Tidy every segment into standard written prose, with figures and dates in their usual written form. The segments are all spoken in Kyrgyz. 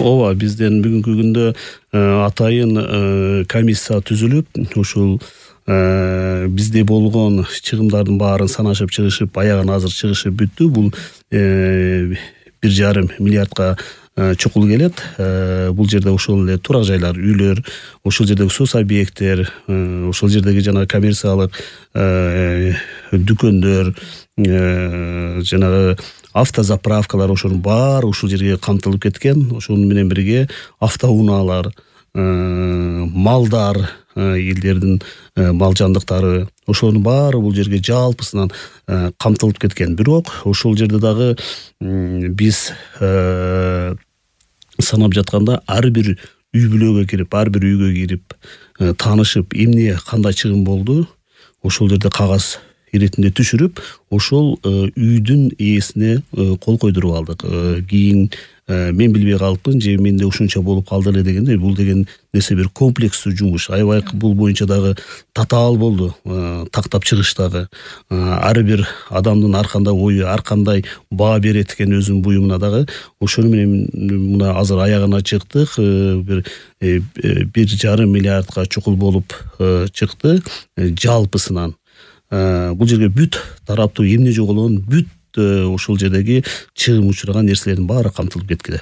ооба, бизден бүгүнкү күндө атайын комиссия түзүлүп, ушул бизде болгон чыгымдардын баарын санашып чыгышып, аягына азыр чыгышып бүттү. Бул 1,5 миллиардка чукул келет. Бул жерде ошол эле турак жайлар, үйлөр, ошол жердеги сос объекттер, ошол жердеги жана коммерциялык дүкөндөр, жанагы автозаправкалар, ошонун баары ушул жерге камтылып кеткен. Ошону менен бирге автоунаалар, малдар, элдердин мал жандыктары, ошонун баары бул жерге жалпысынан камтылып кеткен. Бирок ошол жерде дагы биз санап жатканда ар бир үй бүлөгө кирип, ар бир үйгө кирип таанышып, эмне кандай чыгым болду, ошол жерде кагаз иретинде түшүрүп, ошол үйдүн ээсине кол койдуруп алдык. Кийин мен билбей калыпмын, же менде ушунча болуп калды эле дегенде, бул деген нерсе бир комплекстүү жумуш. Аябай бул боюнча дагы татаал болду, тактап чыгыш дагы. Ар бир адамдын ар кандай ою, ар кандай баа берет экен өзүнүн буюмуна дагы. Ошону менен мына азыр аягына чыктык, бир 1,5 миллиардка чукул болуп чыкты жалпысынан. Бул жерге бүт тараптуу эмне жоголгон, бүт ошол жердеги чыгым учураган нерселердин баары камтылып кеткен.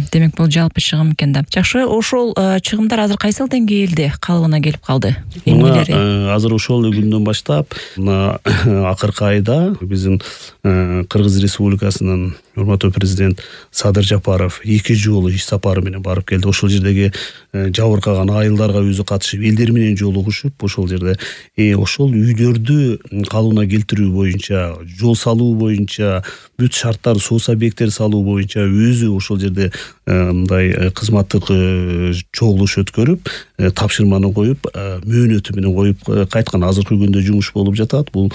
Демек бул жалпы чыгым экен да. Жакшы, ошол чыгымдар азыр кайсыл деңгээлде калыбына келип калды? Азыр ошол күндөн баштап мына акыркы айда биздин Кыргыз Республикасынын урматтуу президент Садыр Жапаров 2 жолу иш сапары менен барып келди. Ошол жердеги жабыркаган айылдарга өзү катышып, элдер менен жолугушуп, ошол жерде ошол үйлөрдү калыбына келтирүү боюнча, жол салуу боюнча, бүт шарттар, сос объекттер салуу боюнча өзү ошол жерде мындай кызматтык чогулуш өткөрүп, тапшырманы коюп, мөөнөтү менен коюп кайткан. Азыркы күндө жумуш болуп жатат. Бул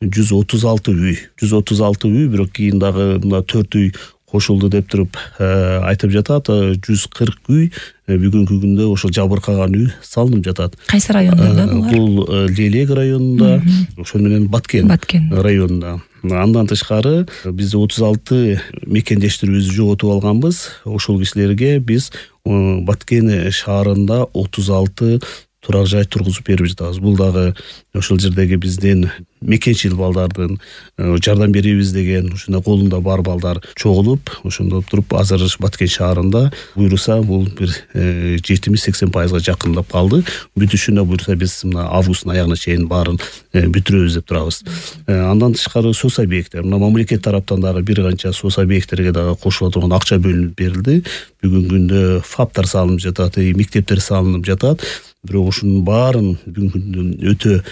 136 үй, бирок кийин дагы мына 4 үй кошулду деп туруп айтып жатат. 140 үй бүгүнкү күндө ошол жабыркаган үй салынып жатат. Кайсы райондордо булар? Бул Лелек районунда, ошол менен Баткен районунда. Андан тышкары биз 36 мекендештерибизди жоготуп алганбыз. Ошол кишилерге биз Баткен шаарында 36 турак жай тургузуп берип жатабыз. Бул дагы ошол жердеги биздин мекенчил балдардын жардам беребиз деген ушундай колунда бар балдар чогулуп, ошондо туруп азыр Баткен шаарында буйруса бул бир 70-80% жакындап калды. Бүтүшүнө буйруса биз мына августтун аягына чейин баарын бүтүрөбүз деп турабыз. Андан тышкары сос объекттер, мына мамлекет тараптан дагы бир канча сос объекттерге дагы кошула турган акча бөлүнүп берилди. Бүгүнкү күндө ФАПтар салынып жатат, мектептер салынып жатат. Бирок ушунун баарын бүгүнкү күндө өтө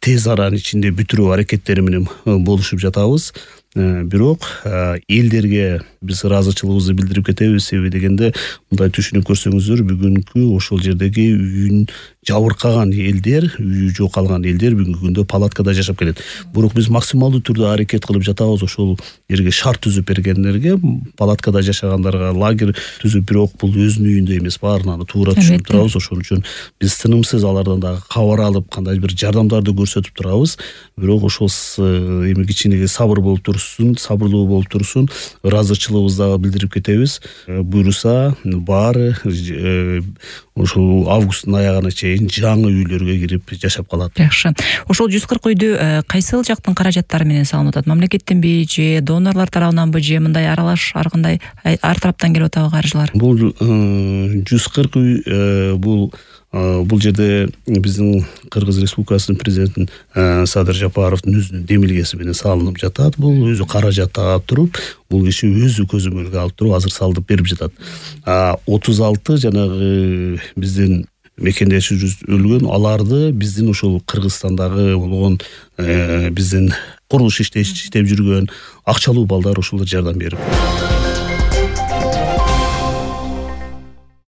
тез аранын ичинде бүтүрүү аракеттери менен болушуп жатабыз. Бирок элдерге биз ыраазычылыгыбызды билдирип кетебиз. Себеби дегенде мындай түшүнүп көрсөңүздөр, бүгүнкү ошол жердеги үйүн жабыркаган элдер, үйү жок калган элдер бүгүнкү күндө палаткада жашап келет. Бирок биз максималдуу түрдө аракет кылып жатабыз ошол жерге шарт түзүп бергендерге, палаткада жашагандарга лагерь түзүп, бирок бул өзүнүн үйүндө эмес, баарын туура түшүнүп турабыз. Ошон үчүн биз тынымсыз алардан дагы кабар алып, кандай бир жардамдарды көрсөтүп турабыз. Бирок ошол эми кичинеге сабыр болуп турсун, сабырлуу болуп турсун, ыраазычылыгыбызды дагы билдирип кетебиз. Буйруса баары ошол августтун аягына чейин жаңы үйлөргө кирип жашап калат. Жакшы. Ошол 140 үйдү кайсыл жактын каражаттары менен салынып атат? Мамлекеттенби же донорлор тарабынан же мындай аралаш ар кандай ар тараптан келип атабы каржылар? Бул 140 үй бул жерде биздин Кыргыз Республикасынын президентин Садыр Жапаровдун өзүнүн демилгеси менен салынып жатат. Бул өзү каражат таап туруп, бул киши өзү көзөмөлгө алып туруп азыр салдып берип жатат. 36 жанагы биздин мекендешибиз өлгөн, аларды биздин ошол Кыргызстандагы болгон биздин курулуш иштеп жүргөн акчалуу балдар ошолор жардам берип